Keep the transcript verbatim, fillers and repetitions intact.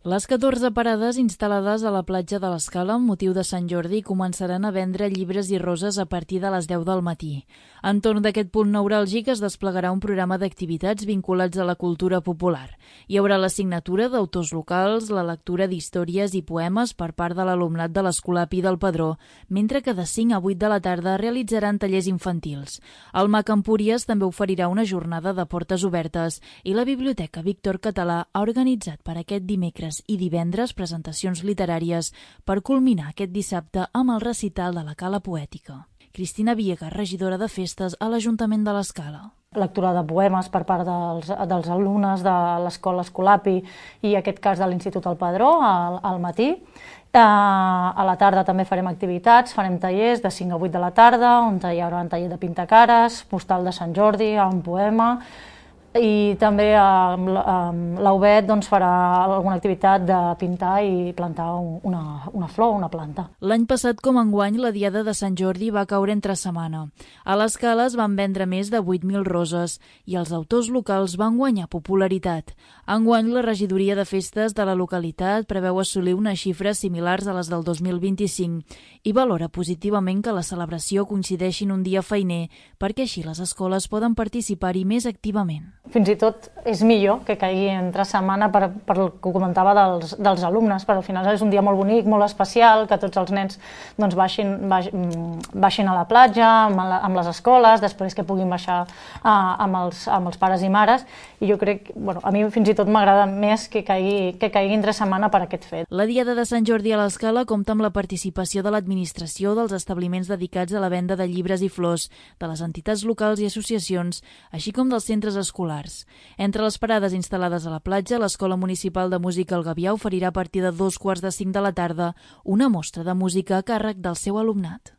Les catorze parades instal·lades a la platja de l'Escala amb motiu de Sant Jordi començaran a vendre llibres i roses a partir de les deu del matí. Entorn d'aquest punt neuràlgic es desplegarà un programa d'activitats vinculats a la cultura popular. Hi haurà la signatura d'autors locals, la lectura d'històries i poemes per part de l'alumnat de l'Escolapi del Padró, mentre que de cinc a vuit de la tarda realitzaran tallers infantils. El MAC Empúries també oferirà una jornada de portes obertes i la Biblioteca Víctor Català ha organitzat per aquest dimecres i divendres presentacions literàries per culminar aquest dissabte amb el recital de la Cala Poètica. Cristina Villegas, regidora de festes a l'Ajuntament de l'Escala. Lectura de poemes per part dels, dels alumnes de l'Escola Escolapi i en aquest cas de l'Institut El Padró al, al matí. A la tarda també farem activitats, farem tallers de cinc a vuit de la tarda, on hi haurà un taller de pintacares, postal de Sant Jordi, un poema, i també l'A U B E T doncs, farà alguna activitat de pintar i plantar una, una flor, una planta. L'any passat, com enguany, la Diada de Sant Jordi va caure entre setmana. A l'Escala es van vendre més de vuit mil roses i els autors locals van guanyar popularitat. Enguany, la regidoria de festes de la localitat preveu assolir unes xifres similars a les del dos mil vint-i-cinc i valora positivament que la celebració coincideixi en un dia feiner perquè així les escoles poden participar-hi més activament. Fins i tot és millor que caigui entre setmana per, per el que comentava dels, dels alumnes, però al final és un dia molt bonic, molt especial, que tots els nens doncs, baixin, baixin, baixin a la platja, amb, la, amb les escoles, després que puguin baixar uh, amb, els, amb els pares i mares, i jo crec, bueno, a mi fins i tot m'agrada més que caigui, que caigui entre setmana per aquest fet. La Diada de Sant Jordi a l'Escala compta amb la participació de l'administració dels establiments dedicats a la venda de llibres i flors, de les entitats locals i associacions, així com dels centres escolars. Entre les parades instal·lades a la platja, l'Escola Municipal de Música El Gavià oferirà a partir de dos quarts de cinc de la tarda una mostra de música a càrrec del seu alumnat.